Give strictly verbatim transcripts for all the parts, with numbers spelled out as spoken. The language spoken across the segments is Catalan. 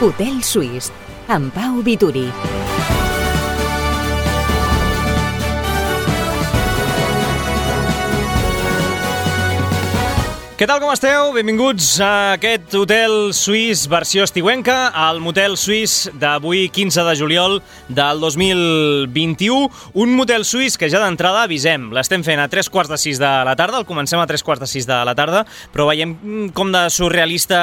Hotel Suís, amb Pau Vituri. Què tal, com esteu? Benvinguts a aquest Hotel Suís versió estiuenca, al Motel Suís d'avui, quinze de juliol del dos mil vint-i-u. Un Motel Suís que ja d'entrada avisem, l'estem fent a tres quarts de sis de la tarda, el comencem a tres quarts de sis de la tarda, però veiem com de surrealista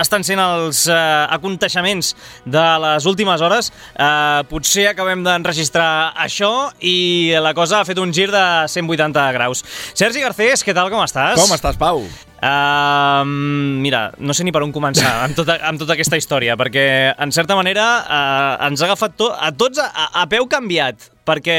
estan sent els eh, aconteixements de les últimes hores. Eh, potser acabem d'enregistrar això i la cosa ha fet un gir de cent vuitanta graus. Sergi Garcés, què tal, com estàs? Com estàs, Pau? Uh, mira, no sé ni per on començar amb tota, amb tota aquesta història, perquè en certa manera uh, ens ha agafat to a tots a, a peu canviat, perquè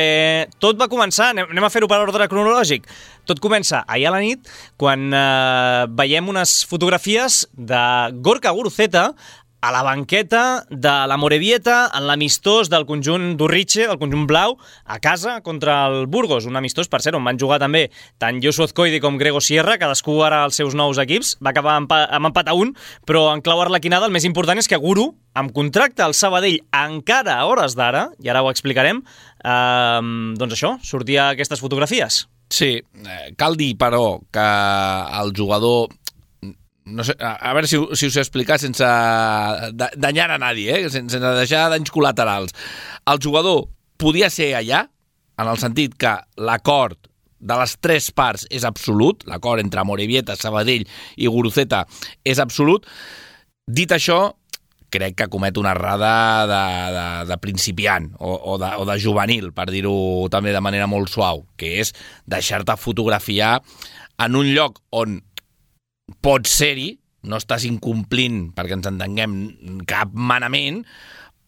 tot va començar, anem, anem a fer-ho per ordre cronològic, tot comença ahir a la nit quan uh, veiem unes fotografies de Gorka Guruceta a la banqueta de la Morevieta en l'amistós del conjunt d'Urriche, del conjunt blau, a casa contra el Burgos. Un amistós, per cert, on van jugar també tant Josu Azcoidi com Grego Sierra, cadascú ara als seus nous equips. Va acabar amb, amb empat a un, però en clau arlequinada el més important és que Guru, amb contracte al Sabadell encara a hores d'ara, i ara ho explicarem, eh, doncs això, sortia aquestes fotografies. Sí, cal dir, però, que el jugador... No sé, a veure si, si us he explicat sense danyar a nadie, eh? sense deixar danys col·laterals. El jugador podia ser allà, en el sentit que l'acord de les tres parts és absolut, l'acord entre Morevieta, Sabadell i Guruceta és absolut. Dit això, crec que comet una errada de, de, de principiant o, o, de, o de juvenil, per dir-ho també de manera molt suau, que és deixar-te fotografiar en un lloc on pots ser-hi, no estàs incomplint, perquè ens entenguem, cap manament,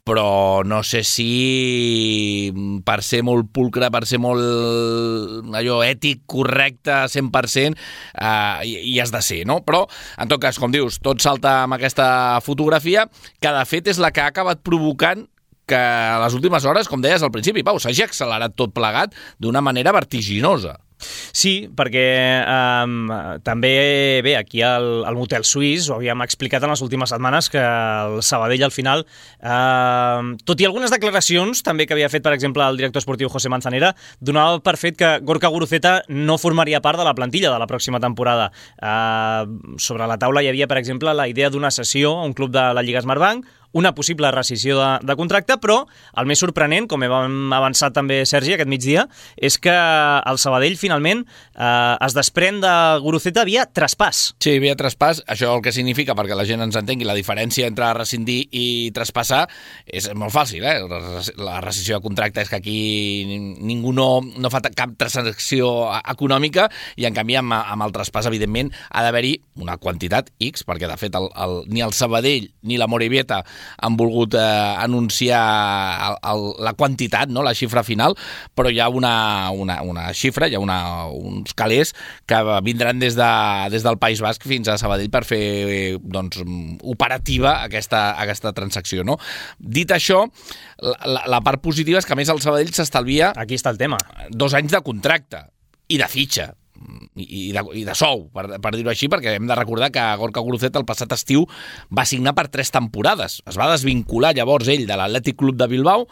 però no sé si per ser molt pulcre, per ser molt allò ètic, correcte, cent per cent, eh, hi has de ser, no? Però, en tot cas, com dius, tot salta amb aquesta fotografia, que de fet és la que ha acabat provocant que a les últimes hores, com deies al principi, Pau, s'hagi accelerat tot plegat d'una manera vertiginosa. Sí, perquè eh, també, bé, aquí al, al Motel Suís ho havíem explicat en les últimes setmanes que el Sabadell al final, eh, tot i algunes declaracions també que havia fet, per exemple, el director esportiu José Manzanera, donava per fet que Gorka Guruceta no formaria part de la plantilla de la pròxima temporada. Eh, sobre la taula hi havia, per exemple, la idea d'una cessió a un club de la Lliga Smartbank, una possible rescissió de, de contracte, però el més sorprenent, com hem avançat també, Sergi, aquest migdia, és que el Sabadell finalment eh, es desprèn de Guruceta via traspàs. Sí, via traspàs. Això el que significa, perquè la gent ens entengui, la diferència entre rescindir i traspassar és molt fàcil, eh? La rescissió de contracte és que aquí ningú no, no fa cap transacció econòmica i, en canvi, amb, amb el traspàs, evidentment, ha d'haver-hi una quantitat X, perquè, de fet, el, el, ni el Sabadell ni la Morevieta han volgut eh, anunciar el, el, la quantitat, no? La xifra final, però hi ha una, una, una xifra, hi ha una, uns calés que vindran des, de, des del País Basc fins a Sabadell per fer doncs, operativa aquesta, aquesta transacció, no? Dit això, la, la part positiva és que, a més, el Sabadell s'estalvia... Aquí està el tema. Dos anys de contracte i de fitxa. I de, i de sou, per, per dir-ho així, perquè hem de recordar que Gorka Guruceta el passat estiu va signar per tres temporades. Es va desvincular llavors ell de l'Atlètic Club de Bilbao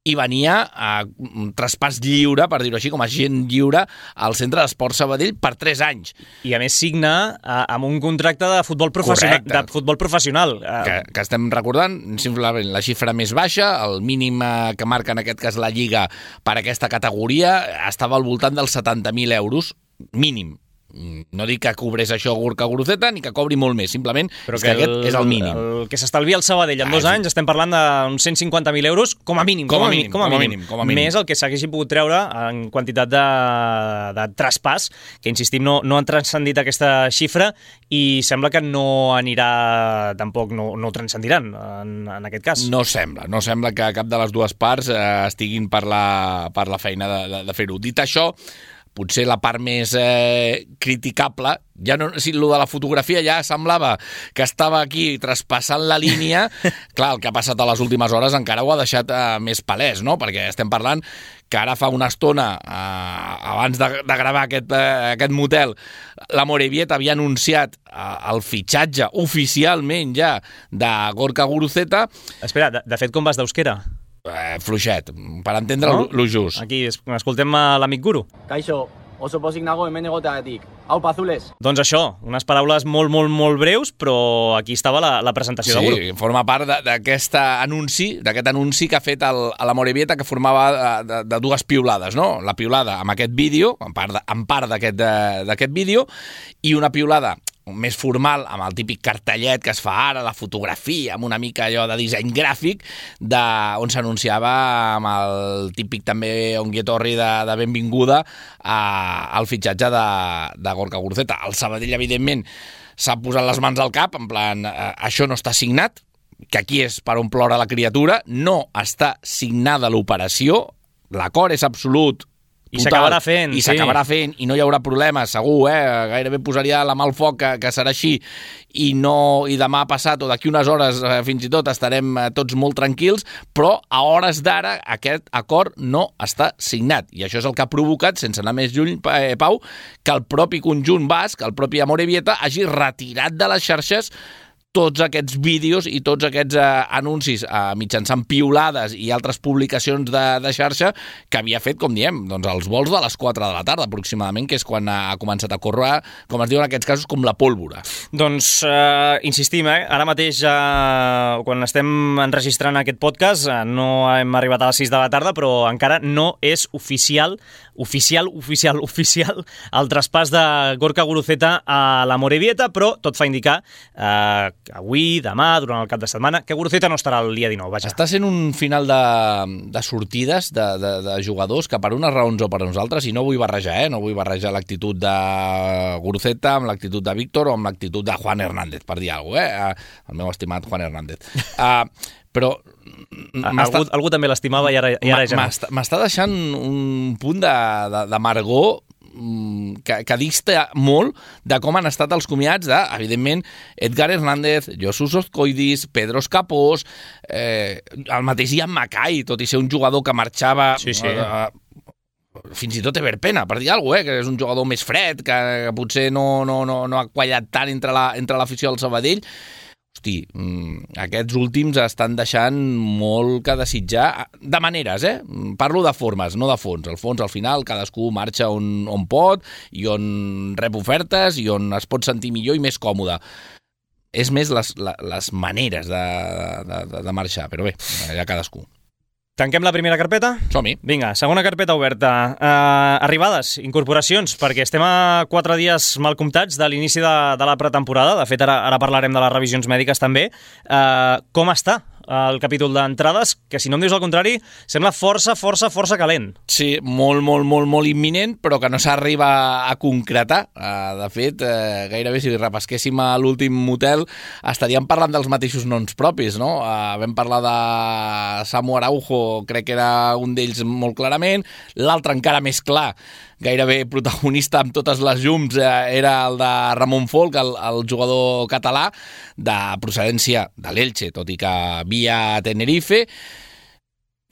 i venia a un traspàs lliure, per dir-ho així, com a agent lliure al Centre d'Esport Sabadell per tres anys. I a més signa a, amb un contracte de futbol professional. De futbol professional. Que, que estem recordant, simplement la xifra més baixa, el mínim que marca en aquest cas la Lliga per aquesta categoria, estava al voltant dels setanta mil euros, mínim. No dic que cobrés això Gorka Guruceta ni que cobri molt més, simplement però és que, que aquest el, és el mínim. El que s'estalvia el Sabadell en ah, dos anys, estem parlant d'uns cent cinquanta mil euros com a mínim. Com a mínim, com a mínim, com a mínim. Més el que s'haguessi pogut treure en quantitat de, de traspàs, que insistim, no, no han transcendit aquesta xifra i sembla que no anirà tampoc, no, no ho transcendiran en, en aquest cas. No sembla, no sembla que cap de les dues parts eh, estiguin per la, per la feina de, de, de fer-ho. Dit això, potser la part més eh, criticable, Ja no, si lo de la fotografia ja semblava que estava aquí traspassant la línia. Clar, el que ha passat a les últimes hores encara ho ha deixat eh, més palès, no? Perquè estem parlant que ara fa una estona, eh, abans de, de gravar aquest, eh, aquest motel, la Morevieta havia anunciat eh, el fitxatge oficialment ja de Gorka Guruceta. Espera, de, de fet, com vas d'euskera? Eh, fluixet, per entendre no? lo just. Aquí escoltem a l'amic Guru. Kaixo, oso pozik nago hemen egoteagatik. Aupa, azules. Doncs això, unes paraules molt, molt, molt breus, però aquí estava la, la presentació sí, del grup. Sí, forma part d'aquest anunci, d'aquest anunci que ha fet el, a la Morevieta, que formava de, de, de dues piulades, no? La piulada amb aquest vídeo, en part, de, en part d'aquest vídeo, i una piulada més formal, amb el típic cartellet que es fa ara, la fotografia, amb una mica allò de disseny gràfic, de, on s'anunciava amb el típic també onguietorri de, de benvinguda a, al fitxatge de, de Gorka Guruceta. El Sabadell, evidentment, s'ha posat les mans al cap, en plan, eh, això no està signat, que aquí és per on plora la criatura, no està signada l'operació, l'acord és absolut, I s'acabarà fent, i s'acabarà sí. fent, i no hi haurà problema, segur, eh? Gairebé posaria la mà al foc que, que serà així, i, no, i demà passat o d'aquí unes hores eh, fins i tot estarem eh, tots molt tranquils, però a hores d'ara aquest acord no està signat, i això és el que ha provocat, sense anar més lluny, eh, Pau, que el propi conjunt basc, el propi Amorebieta, hagi retirat de les xarxes tots aquests vídeos i tots aquests eh, anuncis eh, mitjançant piulades i altres publicacions de, de xarxa que havia fet, com diem, doncs els vols de les quatre de la tarda aproximadament, que és quan ha començat a córrer, com es diu en aquests casos, com la pólvora. Doncs eh, insistim, eh? Ara mateix, eh, quan estem enregistrant aquest podcast, eh, no hem arribat a les sis de la tarda, però encara no és oficial, oficial, oficial, oficial, el traspàs de Gorka Guruceta a la Morevieta, però tot fa indicar eh, avui, demà, durant el cap de setmana, que Guruceta no estarà el dia dinou, vaja. Està sent un final de, de sortides de, de, de jugadors que per unes raons o per unes altres, i no vull barrejar, eh? no vull barrejar l'actitud de Guruceta amb l'actitud de Víctor o amb l'actitud de Juan Hernández, per dir alguna cosa, eh? El meu estimat Juan Hernández. Uh, però... Algú, algú també l'estimava i ara, i ara ja no. M'està deixant un punt de, de, d'amargor Que, que dista molt de com han estat els comiats de, evidentment, Edgar Hernández, Josus Ozcoidis, Pedro Escapós, eh, el mateix Ian Mackay, tot i ser un jugador que marxava... Sí, sí. Eh, fins i tot Everpena, per dir alguna cosa, eh, que és un jugador més fred, que, que potser no, no, no, no ha quallat tant entre la, entre l'afició del Sabadell. Hosti, aquests últims estan deixant molt que desitjar, de maneres, eh? Parlo de formes, no de fons. El fons, al final, cadascú marxa on, on pot i on rep ofertes i on es pot sentir millor i més còmode. És més les, les maneres de, de, de marxar, però bé, ja cadascú. Tanquem la primera carpeta? Som-hi. Vinga, segona carpeta oberta. Uh, arribades, incorporacions, perquè estem a quatre dies mal comptats de l'inici de, de la pretemporada. De fet, ara, ara parlarem de les revisions mèdiques també. Uh, com està el capítol d'entrades? Que si no em dius el contrari, sembla força, força, força calent. Sí, molt, molt, molt, molt imminent, però que no s'arriba a concretar. Uh, de fet, uh, gairebé si repesquéssim a l'últim motel estaríem parlant dels mateixos noms propis, no? Uh, vam parlar de Samu Araujo, crec que era un d'ells molt clarament, l'altre encara més clar, gairebé protagonista amb totes les llums, eh, era el de Ramon Folk, el, el jugador català de procedència de l'Elche, tot i que via Tenerife.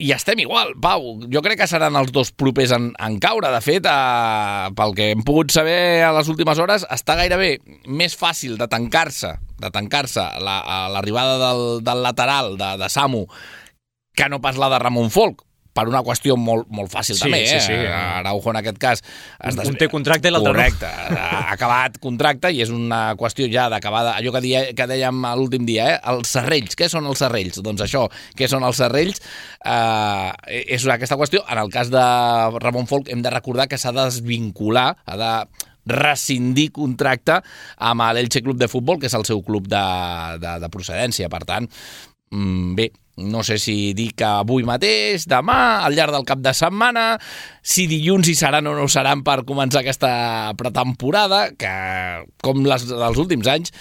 I estem igual, Pau. Jo crec que seran els dos propers en, en caure. De fet, eh, pel que hem pogut saber a les últimes hores, està gairebé més fàcil de tancar-se de tancar-se la, l'arribada del, del lateral de, de Samu que no pas la de Ramon Folk, per una qüestió molt, molt fàcil sí, també, eh? Sí, sí. Araujo en aquest cas... Un té contracte i l'altre no. Correcte, ha acabat contracte i és una qüestió ja d'acabada, allò que, dia, que dèiem l'últim dia, eh? Els serrells, què són els serrells? Doncs això, què són els serrells? Eh, és aquesta qüestió. En el cas de Ramon Folk hem de recordar que s'ha de desvincular, ha de rescindir contracte amb l'Elche Club de Futbol, que és el seu club de, de, de procedència. Per tant, bé, no sé si dir que avui mateix, demà, al llarg del cap de setmana, si dilluns hi seran o no seran per començar aquesta pretemporada, que, com les dels últims anys,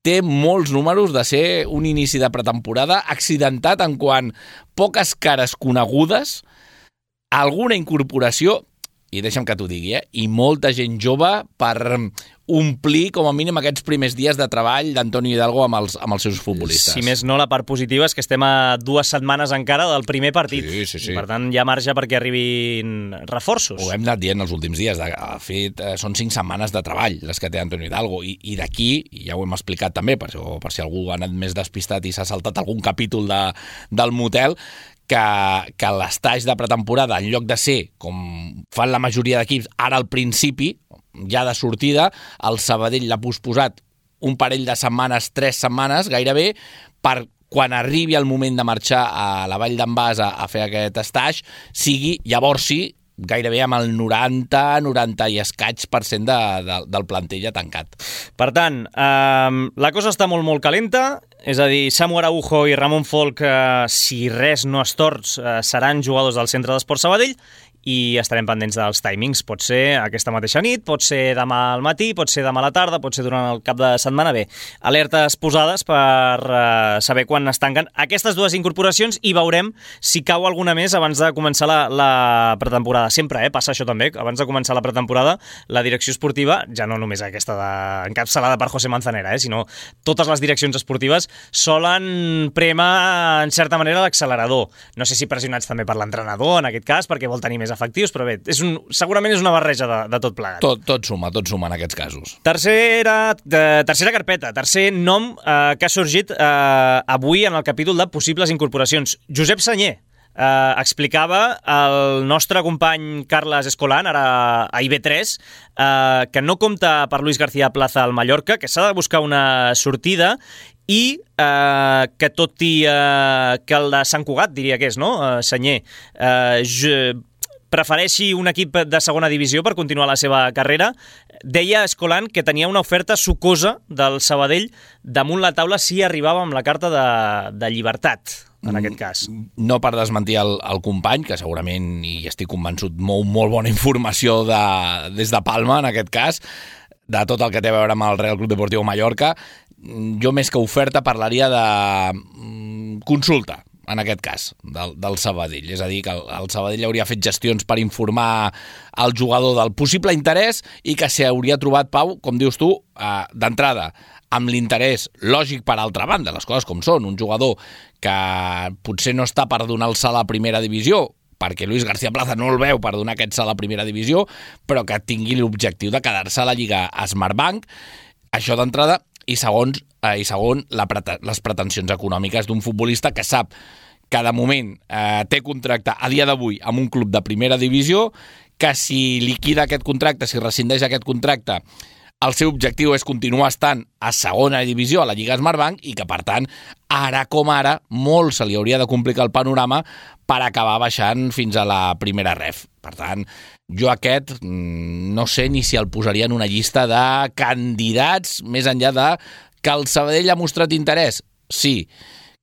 té molts números de ser un inici de pretemporada accidentat en quant poques cares conegudes, alguna incorporació, i deixa'm que t'ho digui, eh? I molta gent jove per omplir com a mínim aquests primers dies de treball d'Antonio Hidalgo amb els, amb els seus futbolistes. Si més no, la part positiva és que estem a dues setmanes encara del primer partit. Sí, sí, sí. I per tant, hi ha marge perquè arribin reforços. Ho hem anat dient els últims dies. De fet, són cinc setmanes de treball les que té Antonio Hidalgo. I, i d'aquí, ja ho hem explicat també, per, per si algú ha anat més despistat i s'ha saltat algun capítol de, del motel, que, que l'estatge de pretemporada, en lloc de ser, com fan la majoria d'equips, ara al principi, ja de sortida, el Sabadell l'ha posposat un parell de setmanes, tres setmanes, gairebé, per quan arribi el moment de marxar a la Vall d'en Bas a, a fer aquest estatge, sigui, llavors sí, gairebé amb el noranta, noranta i escaig per cent de, de, del plantell ja tancat. Per tant, eh, la cosa està molt, molt calenta, és a dir, Samu Araujo i Ramon Folk, eh, si res no es torç, eh, seran jugadors del Centre d'Esports Sabadell, i estarem pendents dels timings. Pot ser aquesta mateixa nit, pot ser demà al matí, pot ser demà a la tarda, pot ser durant el cap de setmana. Bé, alertes posades per uh, saber quan es tanquen aquestes dues incorporacions i veurem si cau alguna més abans de començar la, la pretemporada. Sempre, eh? Passa això també, abans de començar la pretemporada, la direcció esportiva, ja no només aquesta de, encapçalada per José Manzanera, eh? Sinó totes les direccions esportives solen premar, en certa manera, l'accelerador. No sé si pressionats també per l'entrenador, en aquest cas, perquè vol tenir més efectius, però bé, és un, segurament és una barreja de, de tot plegat. Tot, tot suma, tot suma en aquests casos. Tercera, de, tercera carpeta, tercer nom eh, que ha sorgit eh, avui en el capítol de possibles incorporacions. Josep Senyer eh, explicava el nostre company Carles Escolan, ara a I B tres, eh, que no compta per Luis García Plaza al Mallorca, que s'ha de buscar una sortida i eh, que tot i eh, que el de Sant Cugat, diria que és, no? Eh, Senyer, eh, je, prefereixi un equip de segona divisió per continuar la seva carrera. Deia Escolan que tenia una oferta sucosa del Sabadell damunt la taula si arribava amb la carta de, de llibertat, en aquest cas. No per desmentir el, el company, que segurament, i estic convençut, mou molt bona informació de, des de Palma, en aquest cas, de tot el que té a veure amb el Real Club Deportiu Mallorca. Jo més que oferta parlaria de consulta, en aquest cas, del, del Sabadell. És a dir, que el, el Sabadell hauria fet gestions per informar el jugador del possible interès i que s'hauria trobat, Pau, com dius tu, eh, d'entrada, amb l'interès lògic per altra banda, les coses com són. Un jugador que potser no està per donar el salt a la primera divisió, perquè Luis García Plaza no el veu per donar aquest salt a la primera divisió, però que tingui l'objectiu de quedar-se a la Lliga Smartbank. Això d'entrada. I segons, eh, i segon, la prete les pretensions econòmiques d'un futbolista que sap que de moment eh, té contracte a dia d'avui amb un club de primera divisió, que si liquida aquest contracte, si rescindeix aquest contracte, el seu objectiu és continuar estant a segona divisió a la Lliga Smartbank i que, per tant, ara com ara, molt se li hauria de complicar el panorama per acabar baixant fins a la primera ref. Per tant, jo aquest no sé ni si el posaria en una llista de candidats, més enllà de que el Sabadell ha mostrat interès. Sí.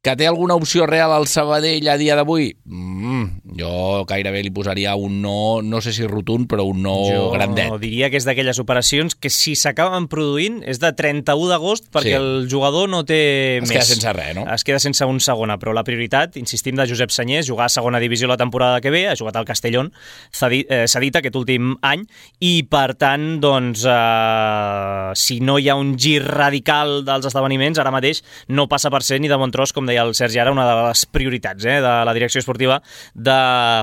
Que té alguna opció real al Sabadell a dia d'avui? Mm, jo gairebé li posaria un no, no sé si rotund, però un no jo grandet. Jo diria que és d'aquelles operacions que si s'acaben produint és de trenta-u d'agost perquè sí. El jugador no té es més. Es queda sense res, no? Es queda sense un segona, però la prioritat, insistim, de Josep Senyer és jugar a segona divisió la temporada que ve, ha jugat al Castellón, cedit aquest últim any, i per tant, doncs, eh, si no hi ha un gir radical dels esdeveniments, ara mateix no passa per ser ni de bon tros, com deia el Sergi ara, una de les prioritats eh, de la direcció esportiva de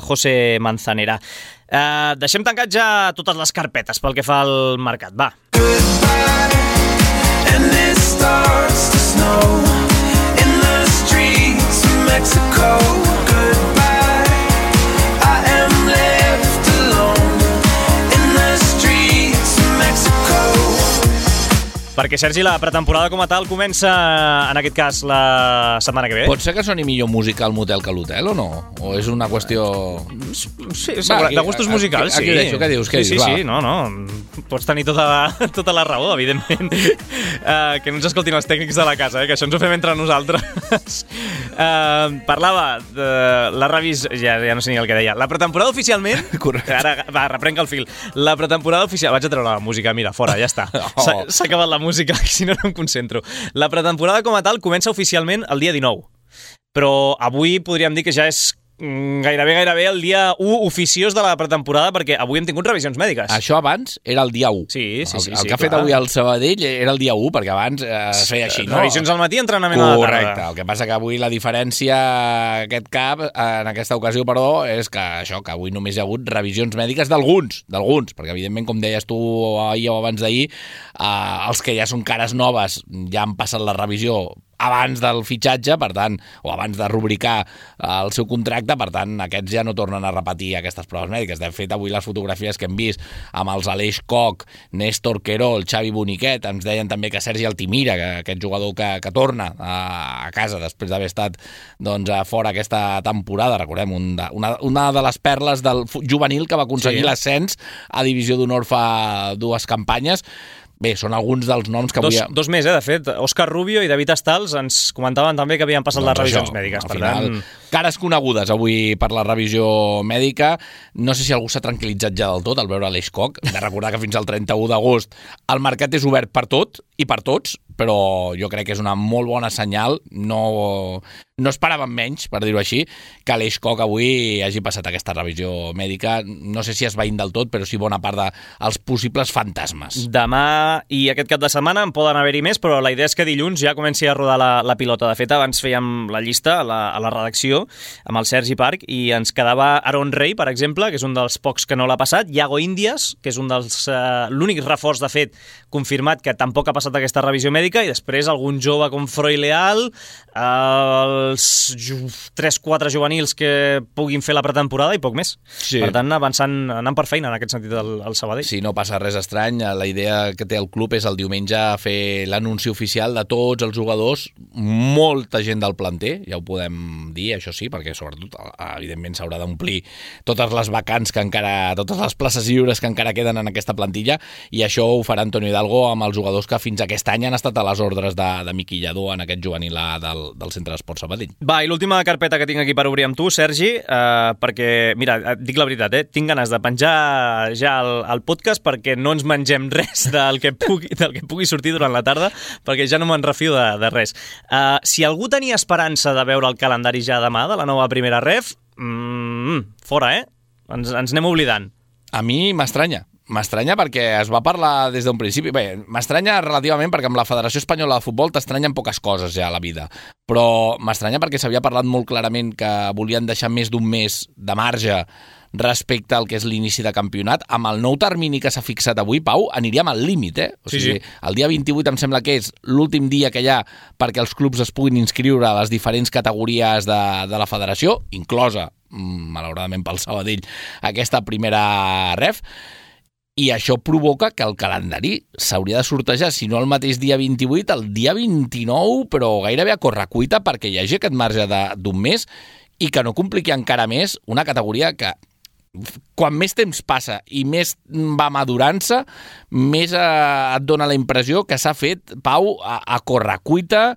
José Manzanera. Eh, deixem tancat ja totes les carpetes pel que fa al mercat. Va. Perquè, Sergi, la pretemporada com a tal comença, en aquest cas, la setmana que ve. Pot ser que soni millor música al motel que a l'hotel, o no? O és una qüestió... Sí, va, aquí, de gustos musicals, aquí, sí. Aquí deixo, què dius? Què sí, dius? sí, sí, no, no. Pots tenir tota la, tota la raó, evidentment. Uh, que no ens escoltin els tècnics de la casa, eh, que això ens ho fem entre nosaltres. Uh, parlava de la revisió... Ja, ja no sé ni el que deia. La pretemporada oficialment... Correcte. Ara, va, reprenc el fil. La pretemporada oficial... Vaig a treure la música, mira, fora, ja està. S'ha Oh. acabat la música, si no, no em concentro. La pretemporada com a tal comença oficialment el dia dinou. Però avui podríem dir que ja és gairebé, gairebé el dia u oficiós de la pretemporada, perquè avui hem tingut revisions mèdiques. Això abans era el dia u. Sí, sí, sí. El, el sí, que ha fet clar. avui el Sabadell era el dia u, perquè abans eh, es feia així, no? Revisions al matí, entrenament a la tarda. Correcte. El que passa que avui la diferència aquest cap, en aquesta ocasió, però, és que això, que avui només hi ha hagut revisions mèdiques d'alguns, d'alguns, perquè evidentment, com deies tu ahir o abans d'ahir, eh, els que ja són cares noves ja han passat la revisió abans del fitxatge, per tant, o abans de rubricar el seu contracte, per tant, aquests ja no tornen a repetir aquestes proves mèdiques. De fet, avui les fotografies que hem vist amb els Aleix Koch, Néstor Querol, Xavi Boniquet, ens deien també que Sergi Altimira, que, aquest jugador que, que torna a, a casa després d'haver estat doncs, fora aquesta temporada, recordem, un de, una, una de les perles del juvenil que va aconseguir sí. l'ascens a Divisió d'Honor fa dues campanyes. Bé, són alguns dels noms que dos, avui... Dos més, eh, de fet. Òscar Rubio i David Estals ens comentaven també que havien passat doncs les revisions això, mèdiques. Per final, tant... cares conegudes avui per la revisió mèdica. No sé si algú s'ha tranquil·litzat ja del tot al veure l'Eix Koch. Hem de recordar que fins al trenta-u d'agost el mercat és obert per tot i per tots, però jo crec que és una molt bona senyal. No, no esperàvem menys, per dir-ho així, que l'Eix Koch avui hagi passat aquesta revisió mèdica. No sé si es veïn del tot, però sí bona part dels possibles fantasmes. Demà i aquest cap de setmana en poden haver-hi més, però la idea és que dilluns ja comenci a rodar la, la pilota. De fet, abans fèiem la llista a la, a la redacció amb el Sergi Parc i ens quedava Aaron Rey, per exemple, que és un dels pocs que no l'ha passat, Iago Índias, que és un dels eh, l'únic reforç, de fet, confirmat que tampoc ha passat aquesta revisió mèdica, i després algun jove com Froi Leal, eh, els tres quatre juvenils que puguin fer la pretemporada i poc més. Sí. Per tant, avançant, anant per feina en aquest sentit el, el Sabadell. Sí, no passa res estrany. La idea que té el club és el diumenge fer l'anunci oficial de tots els jugadors, molta gent del planter, ja ho podem dir, això sí, perquè sobretot, evidentment, s'haurà d'omplir totes les vacants que encara, totes les places lliures que encara queden en aquesta plantilla, i això ho farà Antonio Hidalgo amb els jugadors que fins aquest any han estat a les ordres de, de Miqui Lladó en aquest juvenil del, del Centre d'Esport Sabadell. Va, i l'última carpeta que tinc aquí per obrir amb tu, Sergi, eh, perquè, mira, et dic la veritat, eh, tinc ganes de penjar ja el, el podcast perquè no ens mengem res del que pugui, del que pugui sortir durant la tarda, perquè ja no me'n refio de, de res. Uh, si algú tenia esperança de veure el calendari ja demà de la nova primera ref, mm, fora, eh? Ens, ens anem oblidant. A mi m'estranya. M'estranya perquè es va parlar des d'un principi. Bé, m'estranya relativament perquè amb la Federació Espanyola de Futbol t'estranyen poques coses ja a la vida. Però m'estranya perquè s'havia parlat molt clarament que volien deixar més d'un mes de marge respecte al que és l'inici de campionat. Amb el nou termini que s'ha fixat avui, Pau, aniríem al límit, eh? O sigui, sí, sí. El dia vint-i-vuit em sembla que és l'últim dia que hi ha perquè els clubs es puguin inscriure a les diferents categories de, de la federació, inclosa, malauradament pel Sabadell, aquesta primera ref, i això provoca que el calendari s'hauria de sortejar, si no el mateix dia vint-i-vuit, el dia vint-i-nou, però gairebé a correcuita perquè hi hagi aquest marge d'un mes i que no compliqui encara més una categoria que quan més temps passa i més va madurant-se, més eh, et dona la impressió que s'ha fet, Pau, a, a correcuita,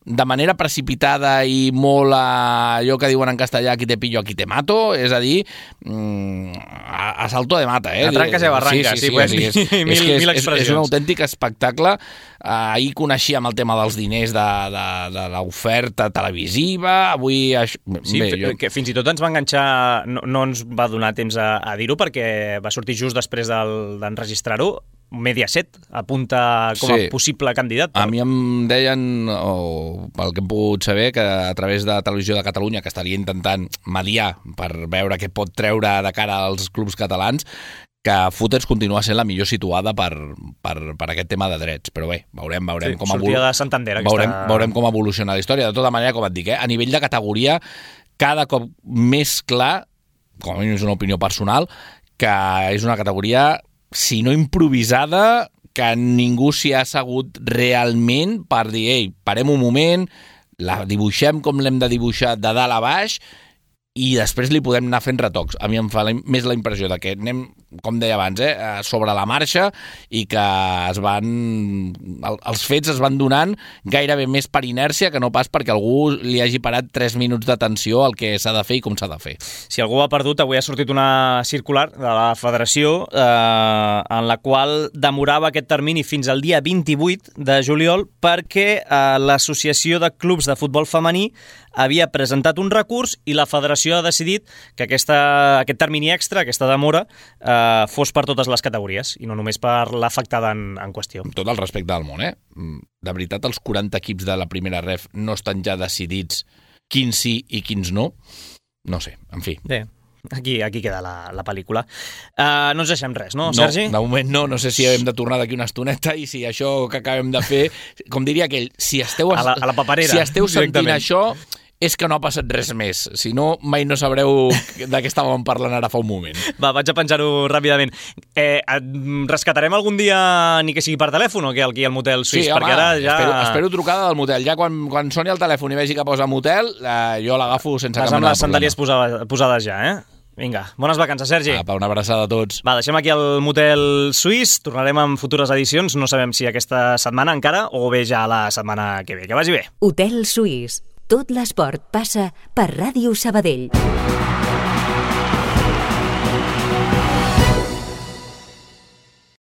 de manera precipitada i molt a allò que diuen en castellà, aquí te pillo, aquí te mato, és a dir, a, a salto de mata. Eh? A tranques i barranques, sí, sí, sí, sí, podem dir és, mil, és, mil és, és un autèntic espectacle. Ahir coneixíem el tema dels diners de, de, de l'oferta televisiva, avui... Això... Sí, Bé, jo... que fins i tot ens va enganxar, no, no ens va donar temps a, a dir-ho perquè va sortir just després d'enregistrar-ho, Mediaset apunta com a sí. possible candidat. A mi em deien, o pel que hem pogut saber, que a través de Televisió de Catalunya, que estaria intentant mediar per veure què pot treure de cara als clubs catalans, que Footers continua sent la millor situada per, per, per aquest tema de drets. Però bé, veurem, veurem sí, com sortia de Santander, veurem, aquesta... veurem com evoluciona la història. De tota manera, com et dic, eh, a nivell de categoria, cada cop més clar, com a mínim és una opinió personal, que és una categoria, si no improvisada, que ningú s'hi ha assegut realment per dir, ei, parem un moment, la dibuixem com l'hem de dibuixar de dalt a baix i després li podem anar fent retocs. A mi em fa la, més la impressió de que anem com deia abans, eh, sobre la marxa i que es van, el, els fets es van donant gairebé més per inèrcia que no pas perquè algú li hagi parat tres minuts d'atenció al que s'ha de fer i com s'ha de fer. Si algú ha perdut, avui ha sortit una circular de la Federació eh, en la qual demorava aquest termini fins al dia vint-i-vuit de juliol perquè eh, l'Associació de Clubs de Futbol Femení havia presentat un recurs i la Federació ha decidit que aquesta, aquest termini extra, aquesta demora, eh, fos per totes les categories i no només per l'afectada en, en qüestió. Amb tot el respecte del món, eh? De veritat, els quaranta equips de la primera ref no estan ja decidits quins sí i quins no? No sé, en fi. Bé, aquí, aquí queda la, la pel·lícula. Uh, no ens deixem res, no, no, Sergi? De moment no, no sé si hem de tornar d'aquí una estoneta i si això que acabem de fer, com diria aquell, si esteu, a la, a la paperera, si esteu sentint directament. això, és que no ha passat res més. Si no, mai no sabreu de què estàvem parlant ara fa un moment. Va, vaig a penjar-ho ràpidament. Eh, rescatarem algun dia, ni que sigui per telèfon, o què, aquí al motel suís? Sí, home, perquè ara ja... espero, espero trucada del motel. Ja quan, quan soni el telèfon i vegi que posa motel, eh, jo l'agafo sense cap mena de problema. Vas amb les sandàlies posades, posades ja, eh? Vinga, bones vacances, Sergi. Apa, una abraçada a tots. Va, deixem aquí el motel suís, tornarem en futures edicions, no sabem si aquesta setmana encara o bé ja la setmana que ve. Que vagi bé. Hotel Suís. Tot l'esport passa per Ràdio Sabadell.